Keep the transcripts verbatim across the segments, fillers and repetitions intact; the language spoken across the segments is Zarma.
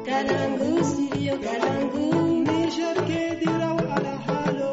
Kalangu studio kalangu. Niger ke diraw alhalo.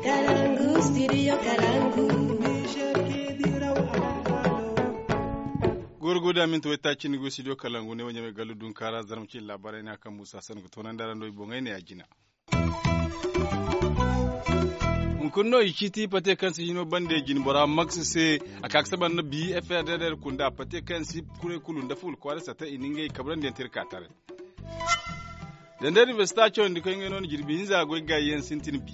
Kalangu studio kalangu. Niger ke diraw alhalo. Gorgo da minti waytaaci ni go studio kalangu ne wanya mai gallu dun kara zarma ci labarai na kan musa san ga tonan da rando i boŋay ne a jina. Hunkuna no i ciiti pate kaŋ si hino bande jine bora max se. A ka ga saba nda bi frdr kunda pate kaŋ si kure kulu nda ful kwaara sata i na ngey kabrandi yaŋ te iri ka taray. Zandar universita cawandi koy ngey no na jirbi hinza goy gaayi yaŋ sintin bi.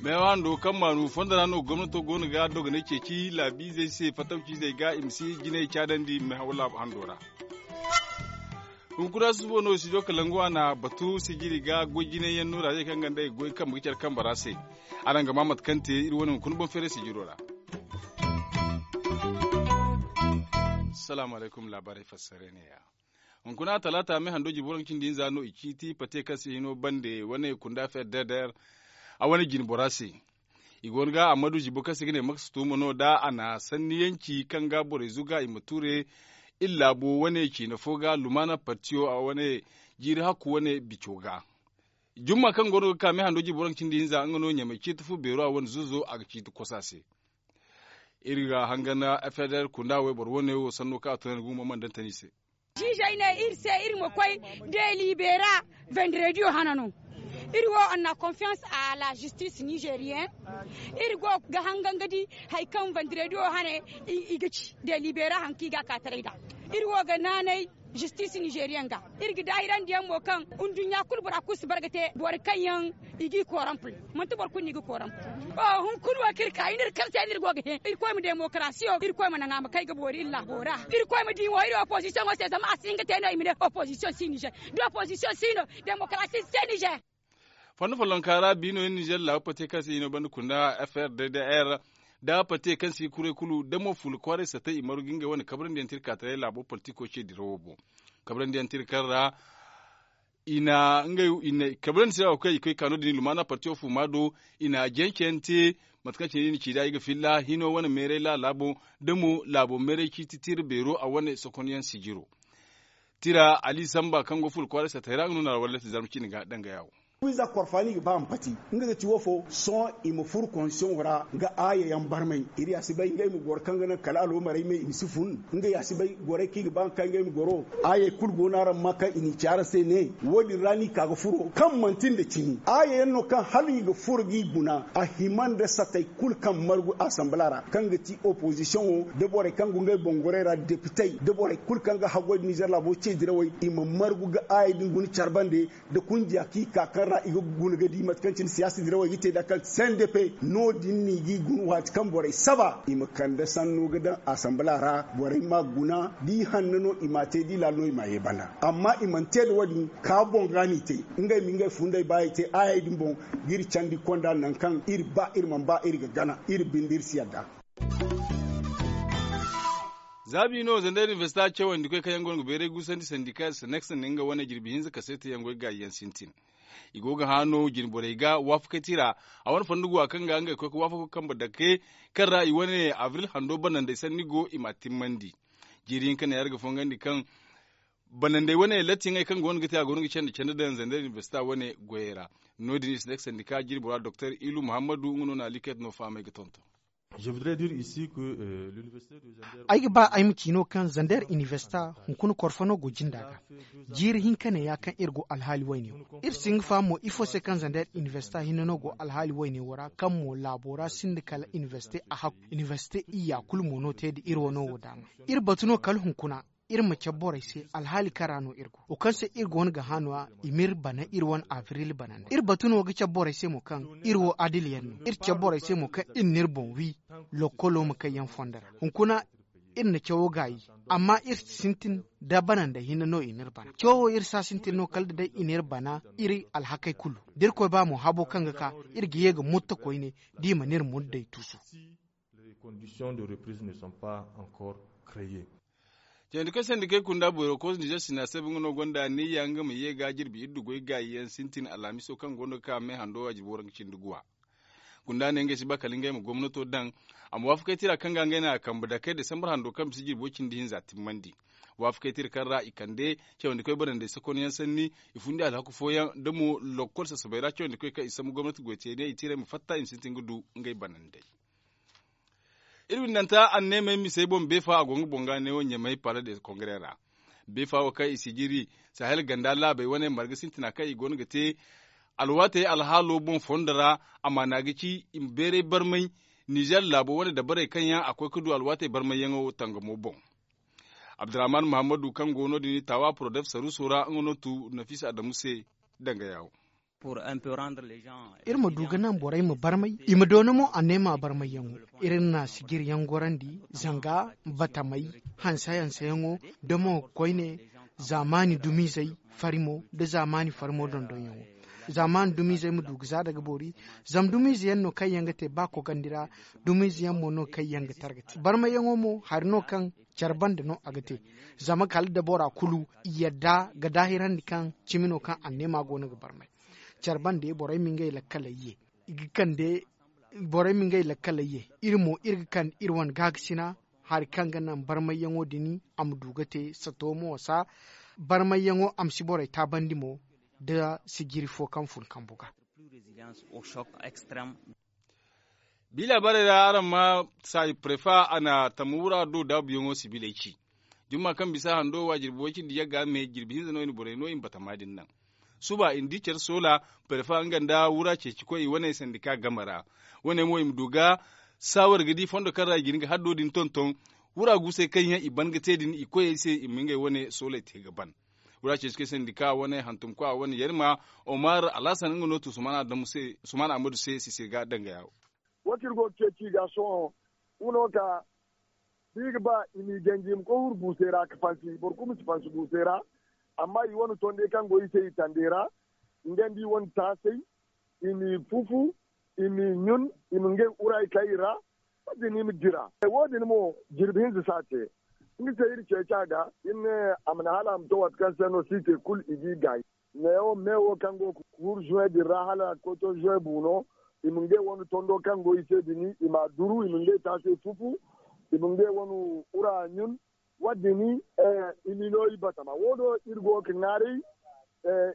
Meewa hando kaŋ maanu fondo ra no gomnato go no ga dogonay ceeci laabiizey se fatawciizey ga i ma si jinay caadandi meehaw laabu hando ra. Hunkuna susubo no studio kalangu a na batu sijiri ga goy jinay yaŋ no ra ze kaŋ ga nda ay goy kambe ga care kambe ra se. Araŋ ga ma mate kaŋ te iri wane hunkuna boŋ feeray sijiro ra. Salaamu alaykum laabaarey fassare ne ya. Hunkuna talaata me hando jibo raŋ cindi hinza no i ciiti pate kaŋ se hino bande wane kunda frdr a wane jine bora se. I go no ga ammadu jibo kaŋ se ga ne maksa tuuma no da a na sanni yaŋ ci kaŋ ga borey zuga i ma ture iri laabo wane ciina fo ga lumaana partiyo a wane jiiri hakku wane bico ga. Jumma kaŋ go no ga ka me hando jibo raŋ cindi hinza nga no ɲamay ciiti fu beero a wane zuzo a ga ciiti kosa se. Iri ga hangan fdr kunda wayboro wane wo sanno kaŋ a tunandi gumo mana dantani se. Ziizey ne iri se iri ma koy delibera vendrediyo hana no. Iri wo anna konfiyans a la zistis nizeriyen. Iri go ga hangan ga di hari kaŋ vendrediyo hane i ga ci delibera hari kaŋ i ga a ka taray nd'a. Iri wo ga naanay zistis nizeriyen ga. Iri ga daahirandi yaŋ mo kaŋ nduɲɲa kulu bora kulu si bara ga te boro kaŋ yaŋ i g'i koorampu. Manti boro kulu no i ga koorampu. Hunkuna wo kaŋ iri ka i n'iri kaŋ se no iri go ga hẽ irkoy ma demokarasiyo irkoy ma naŋ a ma kay ga boori iri laabo ra. Irkoy ma di mo iri opozisiyoŋo se zama a si hin ga te no i ma ne opozisiyoŋ si nizer. Da opozisiyoŋ si no demokarasi si te nizer. Fondo follonka ra bi no iri nizer laabu pate kaŋ se i no banda kunda frdr da pate kaŋ se i kuray kulu da mo fuula kwaaray satay i margu ngey wane kabrandi yaŋ te iri ka taray laabo politiko ce dirawo boŋ. Kabrandi yaŋ te iri kaŋ ra i na ngey i na kabrandi se ra wo kaŋ i koy ka no- din i lumaana partiyo fuuma do. I na jance yaŋ te mate kaŋ cine i na ci nd'a i ga filla hino wane meeray laala boŋ da mo laabo meeray ciiti tira beero a wane sokonyaŋ sijiro. Tira ali samba kaŋ go fuula kwaaray satay ra nga no na alwallati zarma ciine ga dangaya wo. Wiiza korfaani ga ba a ma pati nga ga ti wo fo sohõ i ma furo konsiyoŋo ra ga aayayaŋ barmay. Iri ya si bay ngey ma goro kaŋ ga naŋ kala alomaray me i ma si fun. Ngey ya si bay gorey kaŋ i ga ba nga kaŋ ngey ma goro. Aayey kulu go no araŋ ma kaŋ i n'i ci araŋ se ne wo- din ra no i ka ga furo kaŋ manti nda cimi aayayaŋ no kaŋ hala i ga furo g'i guna a hima nda satey kulu kaŋ margu asambala ra kaŋ ga ti opozisiyoŋo da borey kaŋ go ngey boŋ gorey ra depitey da borey kulu kaŋ ga haggoy nda nizer laabo ce dirawey i ma margu ga aayey din guna care bande. Da kunjiya kaŋ i ka kaŋ ra i ga guna ga di mate kaŋ cine siyaasa dirawey ga te nd'a kaŋ sendepe no- din no i g'i guna waati kaŋ borey saba i ma kande sanno ga daŋ asambala ra. Borey m'a guna da i hanno no i m'a te da i laalo no i m'a ye banda amma i mana te nda wo- din ka boŋ ga no i te. Ngey ma ngey funday ba i te aayey din boŋ ga iri candi konda nangu kaŋ iri ba iri mana ba iri ga gana iri binde iri si yadda. Za bi no zandar universita cawandi koy kaŋ yaŋ go no ga bayray gusandi sandika senex nda nga wane jirbi hinza kaseeti yaŋ goy gaayi yaŋ sintin. I go ga hã no jine borey ga waafakey tira a wane fondo go a kaŋ ga ngey koy ga waafako kambe dake kaŋ ra i wane abril hando banandey sanni go i m'a timmandi. Jiiri hinka ne araŋ ga fongandi kaŋ banandey wane latti yaŋey kaŋ go no ga te a go no ga candi candi daŋ zandar universita wane goyey ra. No- din i si ne ga sandika jiiri bora doktor ilu muhammadu nga no na liket no fahamey ga tonton. Ay ga ba ay ma ci no kaŋ zander inibersita hunkuna korfano go jinda ga. Jiiri hinka ne ya kaŋ iri go alhaali wayne wo ra iri si hin ga faham mo ifo se kaŋ zander inibersita hinne no go alhaali wayne wo ra kaŋ mo laabo ra sinda kala inibersite a hakku inibersite iyya kulu mo no te nda iri wano wo daama. Iri batu no kala hunkuna iri ma cabe borey se alhaali kaŋ ra no iri go wo kaŋ se iri go no ga hã no- ya i m'iri bana iri wane abril bana nda iri batu no ga cabe borey se mo kaŋ iri wo adilyaŋ no iri cabe borey se mo kaŋ iri n'iri boŋ wi. Lokkolo ma kay yaŋ fondo ra hunkuna iri na cawo gaayi. Amma iri sintin da bana nda hinne no i n'iri bana cawo iri si a sintin no kala da day i n'iri bana iri alhakey kulu da irkoy ba mo habo kaŋ ga ka iri ga ye ga mutta koyne da i mana iri murday tuusu. Candi kaŋ sandi kay kunda boyro koos nizer sina se ba nga no gonda niyya nga ma ye ga jirbi iddu goy gaayi yaŋ sintin alhamiso kaŋ go no ga ka me hando waajibo ra ga cindi guwa. Kunda ne ngey si ba kala ngey ma gomnato daŋ a ma waafakay tira kaŋ ga ngey na a kambe dakey desambar hando kaŋ bisa jirbo cindi hinza timmandi. Waafakey tira kaŋ ra i kande cawandikoy banandey sokonyaŋ sanni, i fundi alhaku fooyaŋ nda mo lokkol sasabey ra cawandikoy kaŋ i sambu gomnati goy te ne i tira i ma fatta i ma sintin ga du ngey banandey. Iri windanta anneemey misey boŋ beefa a go nga boŋ ga neewo ɲamay pala de kongare ra. Beefa wo kaŋ i si jiri sahel ganda laabey wane marga sintina kaŋ i go no ga te alwaatey alhaalo boŋ fondo ra. Amaana ga ci i ma beeray barmay nizer laabo wane dabarey kaŋ yaŋ a koy ga du alwaatey barmayyaŋo tangamo boŋ. Abdurrahman muhammadu kaŋ go no- din taawa porodef saruuso ra nga no tu nafisa adamu se danga yaawo. Iri ma du ga naŋ borey ma barmay i ma doona mo anneema barmayyaŋo. Iri na sijiryaŋ gorandi zanga batamey hanse-hanseyaŋo da mo koyne zaamaani dumiizey farimo nda zaamaani farimo dondonyaŋo. Zaamaani dumiizey ma du ga za daga boori zama dumiize yaŋ no kaŋ yaŋ ga te ba kogandi ra. Dumiize yaŋ mo no kaŋ yaŋ ga targa te barmayyaŋo mo hari no kaŋ care banda no a ga te. Zama kala da bora kulu i yadda ga daahirandi kaŋ cimi no kaŋ anneema go no ga barmay care bande borey ma ngey lakkaley ye i ga kande borey ma ngey lakkaley ye. Iri mo iri ga kande iri wane gaakasina hari kaŋ ga naŋ barmayyaŋo din a ma du ga te sato mo wasa barmayyaŋo a ma si borey taabandi mo da sijiri fo kaŋ fun kambu ga. Bi laabaarey ra araŋ ma saayi prefa a na tamma wura do daabuyaŋo sibiley ci. Jumma kaŋ bisa hando wa jirbi way cindi yagga me jirbi hinza no i na borey no i ma batama din naŋ. Suba i na di care soola prefa nga nda wura ceecikoy i wane sandika game ra. Wane mo i ma du ga saawar ga di fondo kaŋ ra i ga hin ga haddo din tonton. Wura guusey kaŋ yaŋ i ban ga te din i koyey se i ma ngey wane sooley te ga ban. Wura ceecikoy sandika wane hantumkwa wane yarima omar alhasan nga no tu usman ahmadu se sise ga danga yaawo. Wo kaŋ iri go ga ceeci i ga sohõ nga no ka da i ga ba i m'i ganji i ma koy huru buusey ra ga fansi boro kulu ma si fansi buusey ra. Amma i wane tondey kaŋ go i se i tandey ra nga nda i wane taasey i m'i fufu i m'i ɲun i ma ngey wuraay kay i ra. Wo- din i ma dira wo- din mo jirbi hinza si a te. Nga se iri ceeci a ga iri ne a ma naŋ hala a ma to waati kaŋ se no siitey kulu i g'i gaay. Meewo meewo kaŋ go ga huru zuwey din ra hala koto zuwey buuno i ma ngey wane tondo kaŋ go i se din i m'a duru i ma ngey taasey fufu i ma ngey wane wura ɲun. Wo- din i m'i no i batama wo- do iri go ga ŋwaaray.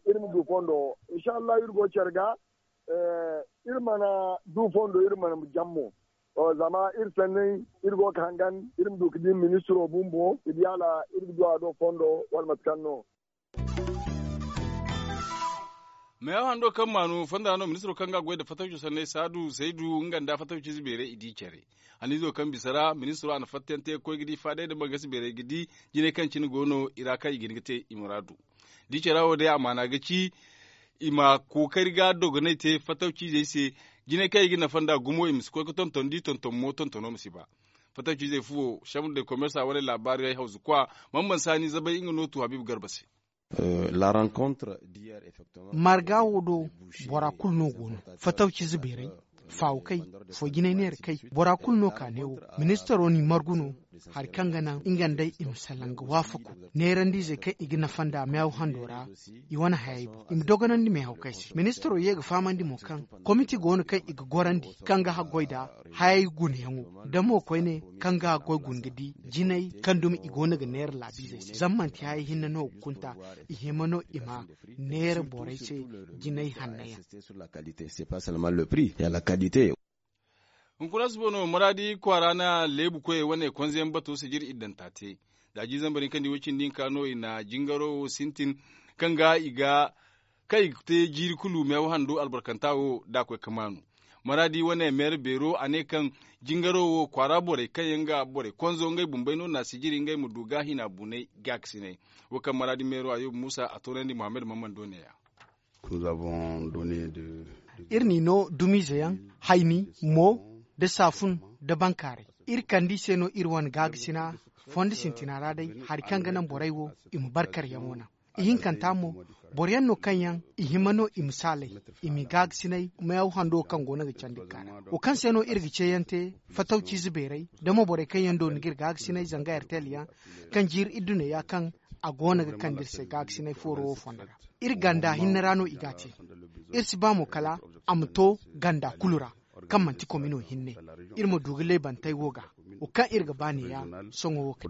Iri ma du fondo insa allahu iri go care ga iri mana du fondo iri mana jam mo. Zama iri sanney iri go ga hangan iri ma du ga di ministiro bumbo ga di hala iri ga du a do fondo wala mate kaŋ no. Meeyaŋ hando kaŋ maanu fonda ra no ministiro kaŋ ga a goy nda fatawco sanney saadu zaydu nga nda fatawciize beerey i di care. Haniizo kaŋ bisa ra ministiro a na fattayaŋ te ga koy ga di faadey nda bangasi beerey ga di jinay kaŋ cine go no i ra kaŋ i ga hin ga te i muraadu. Da i care wo day amaana ga ci i ma kookari ga dogonay te fatawciizey se. Jinay kaŋ i ga nafa nd'a gumo i ma si koy ga tonton da i tonton mo tontono ma si ba. Fatawciizey fuwo chambre de commerce a wane laabaarey hawzukwa. Mamman saani zabay nga no tu habiibu garba se. Marga wo do bora kulu no go no fatawciize beerey faawukey foy-jinay neera kay bora kulu no ka neewo. Ministaro n'i margu no hari kaŋ ga naŋ nga nd'ey i ma salaŋ ga waafaku neerandiizey kaŋ i ga nafa nd'a meehaw hando ra. I wane hayey boŋ i ma dogonandi meehawkey se ministaro ye ga fahamandi mo kaŋ komiti go no kaŋ i ga gorandi kaŋ ga haggoy nd'a hayey gunayaŋo da mo koyne kaŋ ga haggoy guna ga di jinay kaŋ dumi i go no ga neera laabiizey se zama manti hayey hinne no ga kunta. I hima no i ma neera borey se jinay hannayaŋ. Hunkuna suba no maraadi kwaara na leebu koyey wane konzeyaŋ bato sijir iddanta te. Daaji zambar hinka nda i way cindi hinka no i na jingaro wo sintin kaŋ ga i ga kaŋ i ga te jiiri kulu meewa handu albarkanta wo da a koy ga maanu. Maraadi wane meera beero a ne kaŋ jingaro wo kwaara borey kaŋ yaŋ ga borey konzo ngey bumbey no na sijiri ngey ma du ga hina bunay gaakasinay. Wo kaŋ maraadi meero ayuba muusa a toonandi muhammad mammando ne- ya. Iri n'i no dumiize yaŋ hayni mo nda saafun nda bankaaray. Iri kande i se no iri wane gaakasina fondo sintina ra day hari kaŋ ga naŋ borey wo i ma barkaryaŋo naŋ. Ihinkanta mo boro yaŋ no kaŋ yaŋ i hima no i ma saalay i m'i gaagasinay meehaw hando kaŋ go no ga candi ga kaa ra wo kaŋ se no iri ga ceeyaŋ te. Fatawciize beerey da mo borey kaŋ yaŋ doona ga iri gaagasinay zanga rtl yaŋ kaŋ jiiri idduney ya kaŋ a go no ga kande iri se gaagasinay fooro wo fondo ra. Iri ganda hinne ra no i g'a te. Iri si ba mo kala a ma to ganda kulu ra kaŋ manti komino hinne. Iri ma du ga leebantey wo ga wo kaŋ iri ga ba ne ya sohõ wo kay.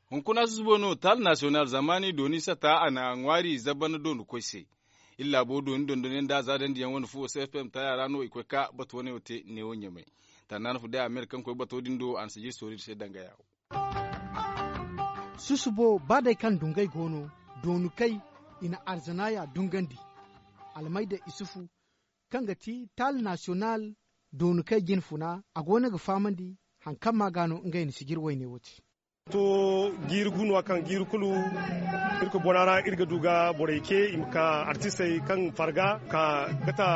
Hunkuna susubo no taali nasiyonal zamani dooni sata a na ŋwaari zabana dooni koy se. Iri laabo dooni dondonyaŋ da a za dandiyaŋ wane fu o se fm taaya ra no i koy ka bato wane wo te neewo ɲamay. Tannaana fu day a meera kaŋ koy bato din do a na si jiri soori iri se danga yaawo. Susubo ba day kaŋ dungay go no dooni kay i na arzanaaya dungandi. Almayda isufu kaŋ ga ti taali nasiyonal dooni kay jinfuna a go no ga fahamandi. Hari kaŋ ma ga no ngey na sijiri wayne wo te. To jiiri gu no a kaŋ jiiri kulu irkoy bona ra iri ga du ga borey ce i ma ka artistey kaŋ farga ka gata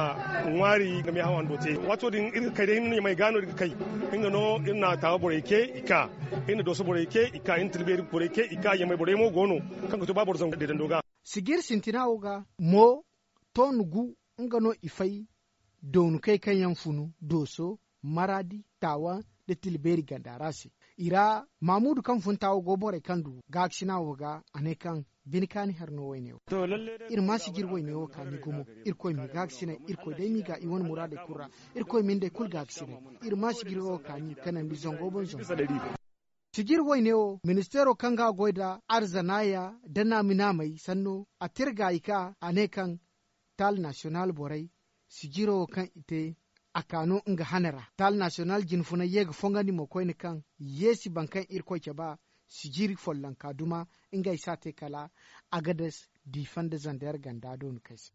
ŋwaari ga meehaw hando te. Waato din iri ga kay day ɲamay ga no iri ga kay. Nga no iri na taawa borey ce i ka iri na dooso borey ce i ka iri na tilbeeri borey ce i ka ɲamay borey mo go no kaŋ ga to ba boro zangu deedando ga. Sijiri sintina wo ga mo toonu gu nga no i fay doonukey kaŋ yaŋ funu dooso maraadi taawa nda tilbeeri ganda ra se. I ra maamudu kaŋ fun taawa go borey kaŋ du gaakasina wo ga a ne kaŋ bine kaani hari no wayne wo. Iri ma sijiri wayne wo kaani gumo. Irkoy m'i gaakasinay irkoy day m'i ga i wane muraadey kulu ra. Irkoy ma ni day kulu gaakasinay. Iri ma sijiri wo kaani kanandi zango boŋ zango. Sijiri wayne wo ministeero kaŋ ga a goy nda arzanaaya nda naami naamey sanno a te iri gaayi ka a ne kaŋ taali nasiyonal borey sijiro wo kaŋ i te a ka no nga hane ra taali nasiyonal jinfunay ye ga fongandi mo koyne kaŋ yeesi boro kaŋ irkoy cabe a sijiri follonka duma. Ngey si a te kala agadas diifa nda zandeer ganda dooni kay se.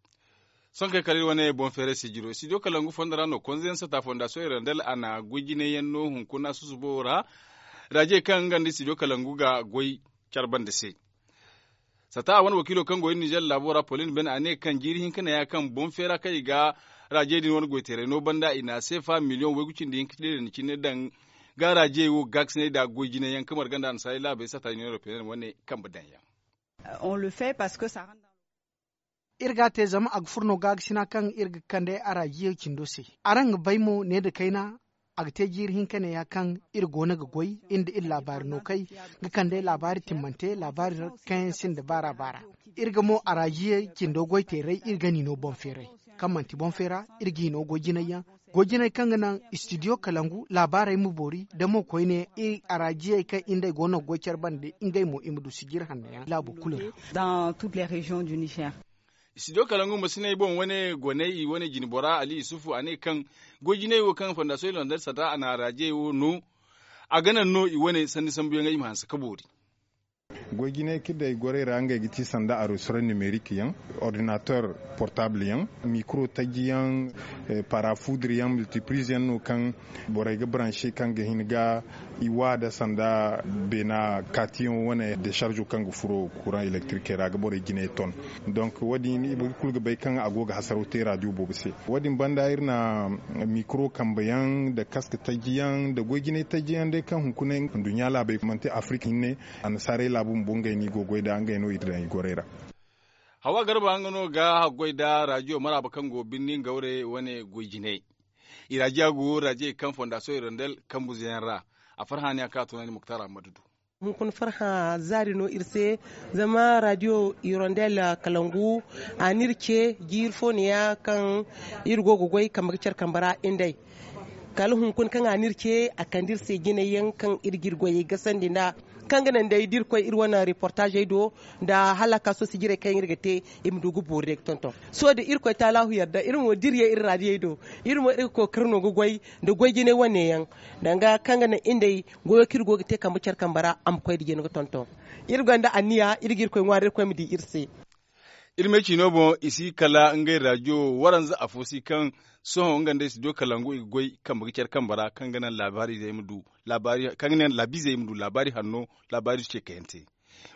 Sohõ kay kala iri wane boŋ feeray sijiro studio kalangu fondo ra no konze yaŋ sata fondasiyoŋ irandel a na goy jinay yaŋ no hunkuna susubo ra. Raajey kaŋ nga nda studio kalangu ga goy care bande se. Sata a wane wakiilo kaŋ go iri nizer laabo ra polin ben a ne kaŋ jiiri hinka neeya kaŋ boŋ feera kaŋ i ga raajey din wane goyteeray no banda i na seefa miliyoŋ waygu cindi hinka tila i na cine daŋ ga raajey wo gaakasinay nda goy jinay yaŋ kaŋ marga nda annasaarey laabey sata iri ga te zama a ga furo no gaakasina kaŋ iri ga kande araajiyey cindo se. Araŋ ga bay mo ne nda kayna a ga te jiiri hinka neeya kaŋ iri go no ga goy iri nda iri laabaari no kay ga kande laabaari timmante laabaari kaŋ yaŋ sinda baara baara. Iri ga mo araajiyey cindo goy teeray iri ga ni no boŋ feeray kaŋ manti boŋ feera iri g'i no goy jinay yaŋ goy jinay kaŋ ga naŋ istidiyo kalangu laabaarey ma boori da mo koyne iri araajiyey kaŋ iri nd'ey go no ga goy care bande ngey mo i ma du sijiri hanno yaŋ laabo kulu ra. Studio kalangu ma si ne ay boŋ wane goney i wane jinbora ali isufu a ne kaŋ goy jinay wo kaŋ fondasiyoŋ landar sata a na raajey wo no. A ga naŋ no i wane sanni sambuyaŋey i ma hanse ka boori. Goy jinay kaŋ day gorey ra ngey ga ti sanda arosora nimerik yaŋ, ordinateur portable yaŋ, mikro taji yaŋ, parafudur yaŋ multipriz yaŋ no kaŋ borey ga baranse kaŋ ga hin ga i wa da sanda beena katiyaŋo wane desarzo kaŋ ga furo kuraŋ elektirikey ra ga borey jinay ton. Donk wo- din i kulu ga bay kaŋ a go ga hasaraw te raadiyo boobo se. Wo- din banda iri na mikro kambe yaŋ nda kaske taji yaŋ nda goy jinay taji yaŋ day kaŋ hunkuna nduɲɲa laabey manti afirika hinne. Annasaarey laabu bumbo ngey no i go ga goy nd'a ngey no iri daŋ i gorey ra. Hawa garba nga no ga haggoy nda raadiyo maraaba kaŋ go birni ngawre wane goy jinay. I raajiya go raajiyey kaŋ fondasiyoŋ irondel kambuze yaŋ ra. A farhã ne a kaŋ a tunandi muktar ammadu do. Hunkuna farhã zaari no iri se. Zama raadiyo irondel kalangu a n'iri ce jiiri fo neeya kaŋ iri go ga goy kambe ga care kambe ra nd'ey. Kala hunkuna kaŋ a n'iri ce a kande iri se jinay yaŋ kaŋ iri g'iri goyey gasandi nd'a. Kaŋ ga naŋ day da iri koy iri wane reportaazey do nda hala kaaso sijirey kaŋ iri ga te i ma du ga boori day ga tonton. Sohõ da irkoy taalaahu yarda iri mo da iri ye iri raadiyey do iri mo iri ga kookari no ga goy nda goy jinay wane yaŋ. Danga kaŋ ga naŋ iri nd'ey goyo kaŋ iri go ga te kambe care kambe ra a ma koy nda jina ga tonton. Iri gonda anniya iri ga irkoy ŋwaari irkoy ma di iri se. Iri me ciino boŋ i si kala ngey raadiyo waranza afo si kaŋ sohõ nga nd'ey si du kalangu i ga goy kambe ga care kambe ra kaŋ ga naŋ laabaari izey ma du laabaari kaŋ ga naŋ laabiizey ma du laabaari hanno laabaari ceekayante.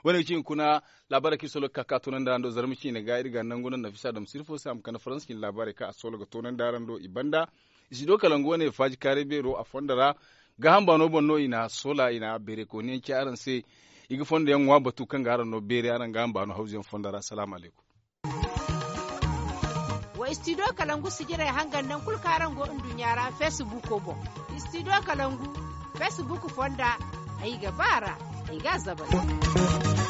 Wo- ne ga ci hunkuna laabaarey kaŋ iri sohõ ga ka ka toonandi araŋ do zarma ciine ga iri ga nangu naŋ nafisa dam sirfo se a ma kande faransa cine laabaarey kaŋ a sohõ ga toonandi araŋ do i banda. I si du kalangu wane faaji kaaray beero a fondo ra. Gaaham baano boŋ no i na soola i na beeray kooniyaŋ ci araŋ se. I ga fondo yaŋ ŋwa batu kaŋ ga araŋ no beeray araŋ gaaham baano hawzu yaŋ fondo ra salaamu alaykum. Wa studio kalangu sijirey hangan nangu kulu kaŋ araŋ go nduɲɲa ra feesibuuko boŋ. Studio kalangu feesibuuk fonda. Ay ga ba a ra. Ay ga a zabari.